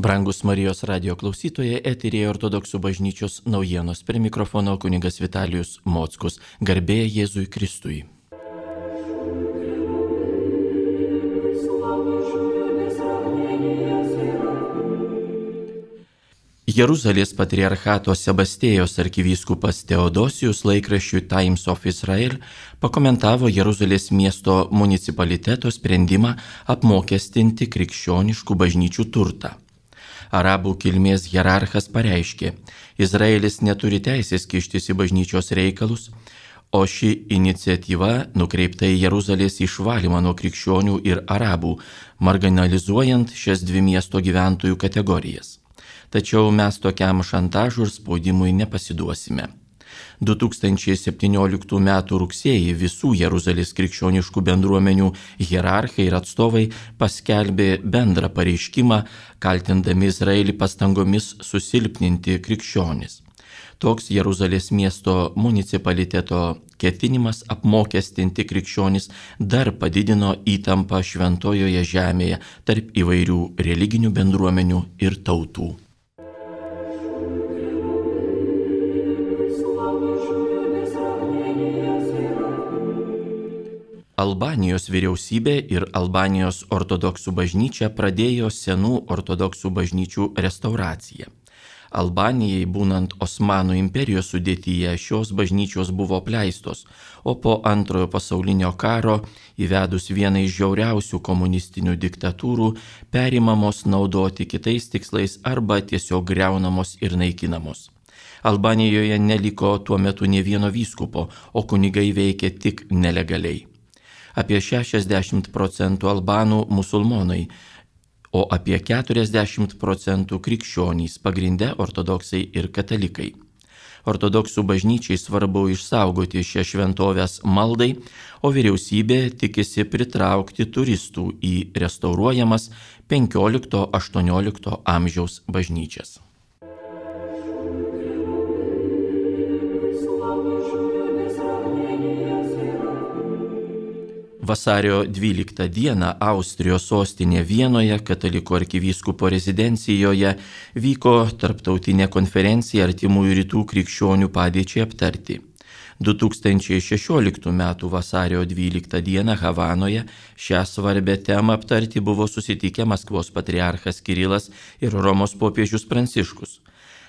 Brangus Marijos radio klausytojai, eterėje Ortodoksų bažnyčios naujienos, prie mikrofono kunigas Vitalijus Mockus. Garbė Jėzui Kristui. Jeruzalės patriarchato Sebastėjos arkivyskupas Teodosijus laikraščiui Times of Israel pakomentavo Jeruzalės miesto municipaliteto sprendimą apmokestinti krikščioniškų bažnyčių turtą. Arabų kilmės hierarchas pareiškė, Izraelis neturi teisės kištis į bažnyčios reikalus, o ši iniciatyva nukreipta į Jeruzalės išvalymą nuo krikščionių ir arabų, marginalizuojant šias dvi miesto gyventojų kategorijas. Tačiau mes tokiam šantažui ir spaudimui nepasiduosime. 2017 m. rugsėjį visų Jeruzalės krikščioniškų bendruomenių hierarchai ir atstovai paskelbė bendrą pareiškimą, kaltindami Izraelį pastangomis susilpninti krikščionis. Toks Jeruzalės miesto municipaliteto ketinimas apmokestinti krikščionis dar padidino įtampą šventojoje žemėje tarp įvairių religinių bendruomenių ir tautų. Albanijos vyriausybė ir Albanijos ortodoksų bažnyčia pradėjo senų ortodoksų bažnyčių restauraciją. Albanijai, būnant Osmanų imperijos sudėtyje, šios bažnyčios buvo apleistos, o po Antrojo pasaulinio karo, įvedus vieną iš žiauriausių komunistinių diktatūrų, perimamos naudoti kitais tikslais arba tiesiog griaunamos ir naikinamos. Albanijoje neliko tuo metu nė vieno vyskupo, o kunigai veikė tik nelegaliai. Apie 60% albanų musulmonai, o apie 40% krikščionys, pagrinde ortodoksai ir katalikai. Ortodoksų bažnyčiai svarbu išsaugoti šią šventovės maldai, o vyriausybė tikisi pritraukti turistų į restauruojamas 15-18 amžiaus bažnyčias. Vasario 12 dieną Austrijos sostinė Vienoje, katalikų arkivyskupo rezidencijoje, vyko tarptautinė konferencija Artimųjų rytų krikščionių padėčiai aptarti. 2016 m. vasario 12 dieną Havanoje šią svarbę temą aptarti buvo susitikę Maskvos patriarchas Kirilas ir Romos popiežius Pranciškus.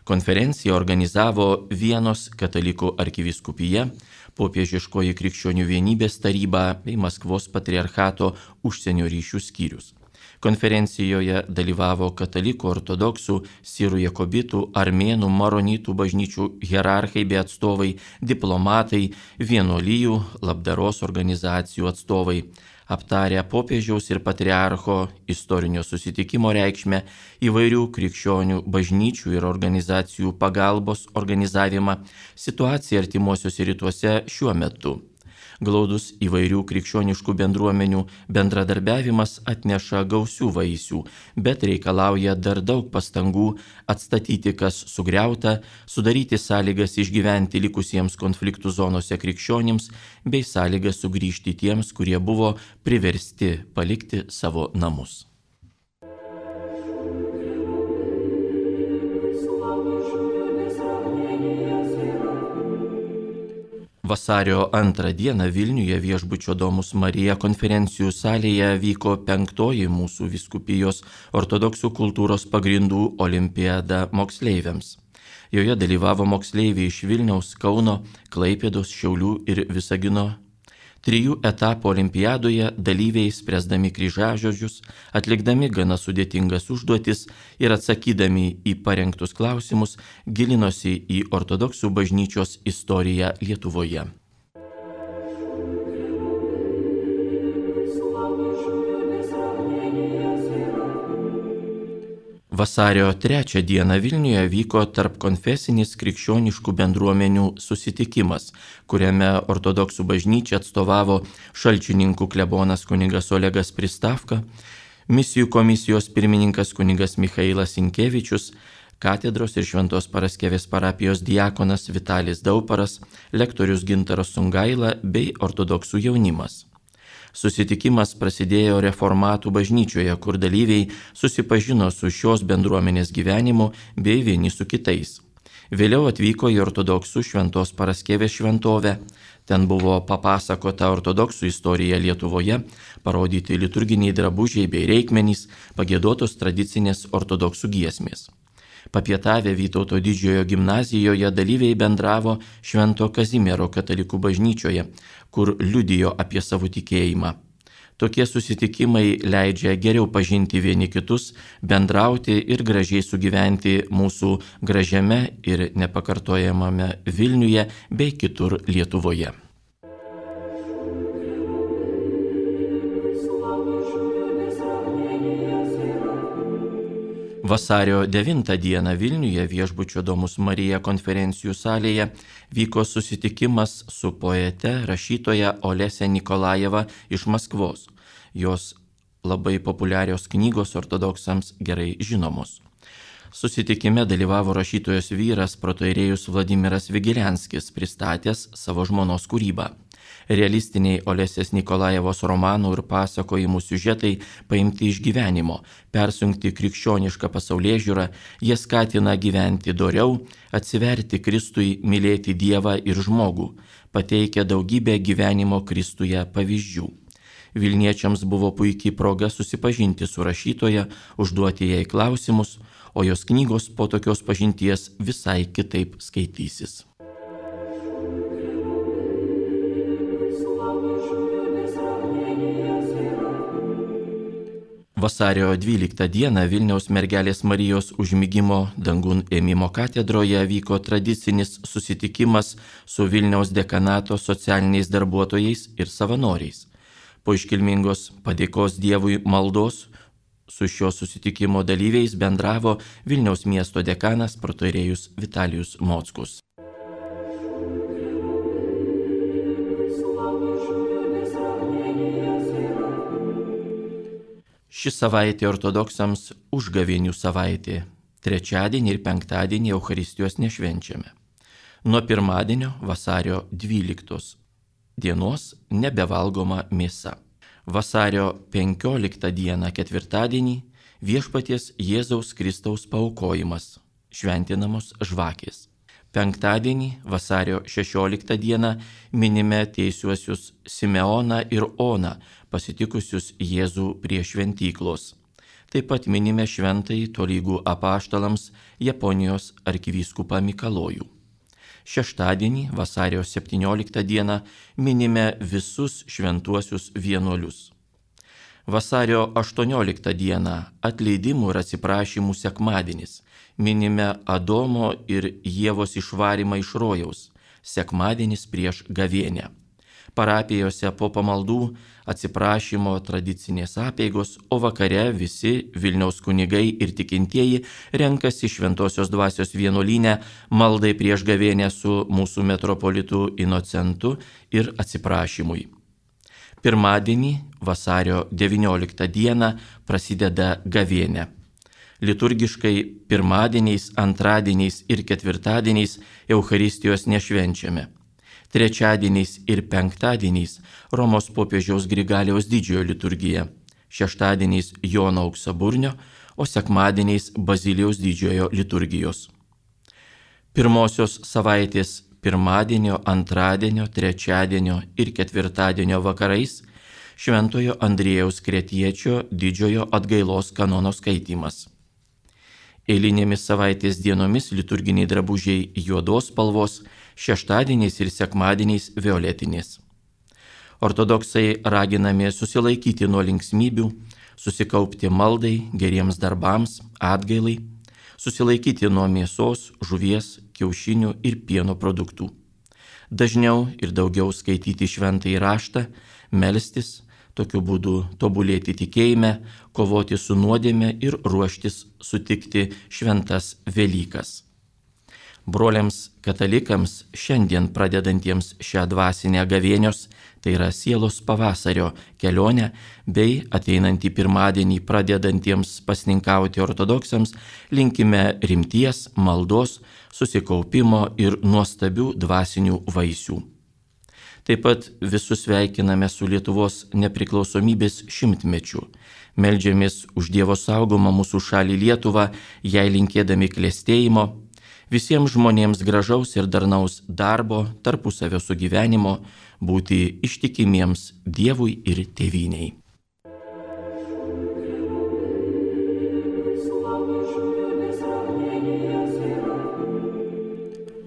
Konferenciją organizavo Vienos katalikų arkivyskupija, Popiežiškoji krikščionių vienybės taryba bei Maskvos patriarchato užsienio ryšių skyrius. Konferencijoje dalyvavo katalikų, ortodoksų, sirų jakobitų, armėnų, maronitų bažnyčių hierarchai bei atstovai, diplomatai, vienuolijų, labdaros organizacijų atstovai, aptarę popiežiaus ir patriarcho istorinio susitikimo reikšmę, įvairių krikščionių bažnyčių ir organizacijų pagalbos organizavimą, situaciją artimuosiuose rytuose šiuo metu. Glaudus įvairių krikščioniškų bendruomenių bendradarbiavimas atneša gausių vaisių, bet reikalauja dar daug pastangų atstatyti, kas sugriauta, sudaryti sąlygas išgyventi likusiems konfliktų zonose krikščionims bei sąlygas sugrįžti tiems, kurie buvo priversti palikti savo namus. Vasario 2 dieną Vilniuje Viešbučio Domus Marija konferencijų salėje vyko 5. mūsų vyskupijos ortodoksų kultūros pagrindų olimpiada moksleiviams. Joje dalyvavo moksleiviai iš Vilniaus, Kauno, Klaipėdos, Šiaulių ir Visagino. 3 etapų olimpiadoje dalyviai spręsdami kryžiažodžius, atlikdami gana sudėtingas užduotis ir atsakydami į parengtus klausimus, gilinosi į ortodoksų bažnyčios istoriją Lietuvoje. Vasario 3 dieną Vilniuje vyko tarpkonfesinis krikščioniškų bendruomenių susitikimas, kuriame ortodoksų bažnyčia atstovavo Šalčininkų klebonas kunigas Olegas Pristavka, misijų komisijos pirmininkas kunigas Michailas Sinkevičius, katedros ir Šventos Paraskevės parapijos diakonas Vitalis Dauparas, lektorius Gintaras Sungaila bei ortodoksų jaunimas. Susitikimas prasidėjo reformatų bažnyčioje, kur dalyviai susipažino su šios bendruomenės gyvenimu bei vieni su kitais. Vėliau atvyko į ortodoksų Šventos Paraskevės šventovę. Ten buvo papasakota ortodoksų istorija Lietuvoje, parodyti liturginiai drabužiai bei reikmenys, pagiedotos tradicinės ortodoksų giesmės. Papietavę Vytauto didžiojo gimnazijoje dalyviai bendravo Švento Kazimiero katalikų bažnyčioje, kur liudijo apie savo tikėjimą. Tokie susitikimai leidžia geriau pažinti vieni kitus, bendrauti ir gražiai sugyventi mūsų gražiame ir nepakartojamame Vilniuje bei kitur Lietuvoje. Vasario 9 dieną Vilniuje viešbučio Domus Marija konferencijų salėje vyko susitikimas su poete, rašytoja Olese Nikolajeva iš Maskvos. Jos labai populiarios knygos ortodoksams gerai žinomos. Susitikime dalyvavo rašytojos vyras protoirėjus Vladimiras Vigilenskis, pristatęs savo žmonos kūrybą. Realistiniai Olesės Nikolajevos romanų ir pasakojimų siužetai paimti iš gyvenimo, persunkti krikščionišką pasaulėžiūrą, jie skatina gyventi doriau, atsiverti Kristui, mylėti Dievą ir žmogų, pateikia daugybę gyvenimo Kristuje pavyzdžių. Vilniečiams buvo puikiai proga susipažinti su rašytoja, užduoti jai klausimus, o jos knygos po tokios pažinties visai kitaip skaitysis. Vasario 12 dieną Vilniaus mergelės Marijos užmigimo dangun ėmimo katedroje vyko tradicinis susitikimas su Vilniaus dekanato socialiniais darbuotojais ir savanoriais. Po iškilmingos padėkos Dievui maldos su šio susitikimo dalyviais bendravo Vilniaus miesto dekanas protoirėjus Vitalijus Mockus. Ši savaitė ortodoksams užgavėnių savaitė. Trečiadienį ir penktadienį Eucharistijos nešvenčiame. Nuo pirmadienio vasario 12 dienos nebevalgoma mėsa. Vasario 15 dieną ketvirtadienį Viešpaties Jėzaus Kristaus paaukojimas, šventinamos žvakės. Penktadienį vasario 16 dieną minime teisiuosius Simeoną ir Oną, pasitikusius Jėzų prie šventyklos. Taip pat minime šventąjį tolygų apaštalams Japonijos arkivyskupą Mikalojų. Šeštadienį vasario 17 dieną minime visus šventuosius vienuolius. Vasario 18 dieną atleidimų ir atsiprašymų sekmadienis. Minime Adomo ir Ievos išvarymą iš rojaus. Sekmadienis prieš gavėnią. Parapijose po pamaldų atsiprašymo tradicinės apeigos, o vakare visi Vilniaus kunigai ir tikintieji renkasi Šventosios dvasios vienuolyne maldai prieš gavėnią su mūsų metropolitu Inocentu ir atsiprašymui. Pirmadienį, vasario 19 dieną, prasideda gavėnė. Liturgiškai pirmadieniais, antradieniais ir ketvirtadieniais Eucharistijos nešvenčiame. Trečiadieniais ir penktadieniais Romos popiežiaus Grigaliaus didžiojo liturgija. Šeštadieniais Jono Auksaburnio, o sekmadieniais Bazilijaus didžiojo liturgijos. Pirmosios savaitės pirmadienio, antradienio, trečiadienio ir ketvirtadienio vakarais Šventojo Andriejaus Kretiečio didžiojo atgailos kanono skaitymas. Eilinėmis savaitės dienomis liturginiai drabužiai juodos spalvos, šeštadieniais ir sekmadieniais violetinės. Ortodoksai raginami susilaikyti nuo linksmybių, susikaupti maldai, geriems darbams, atgailai, susilaikyti nuo mėsos, žuvies, kiaušinių ir pieno produktų. Dažniau ir daugiau skaityti šventąjį raštą, melstis, tokiu būdu tobulėti tikėjime, kovoti su nuodėme ir ruoštis sutikti šventas Velykas. Broliams katalikams šiandien pradedantiems šią dvasinę gavėnios, tai yra sielos pavasario kelionę, bei ateinantį pirmadienį pradedantiems pasninkauti ortodoksams, linkime rimties, maldos, susikaupimo ir nuostabių dvasinių vaisių. Taip pat visus sveikiname su Lietuvos nepriklausomybės 100-mečiu. Meldžiamės už Dievo saugomą mūsų šalį Lietuvą, jai linkėdami klestėjimo, visiems žmonėms gražaus ir darnaus darbo, tarpusavio sugyvenimo, būti ištikimiems Dievui ir tėvynei.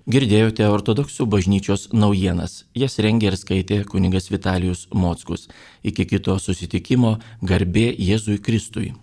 Girdėjote ortodoksų bažnyčios naujienas. Jas rengė ir skaitė kunigas Vitalijus Mockus. Iki kito susitikimo, garbė Jėzui Kristui.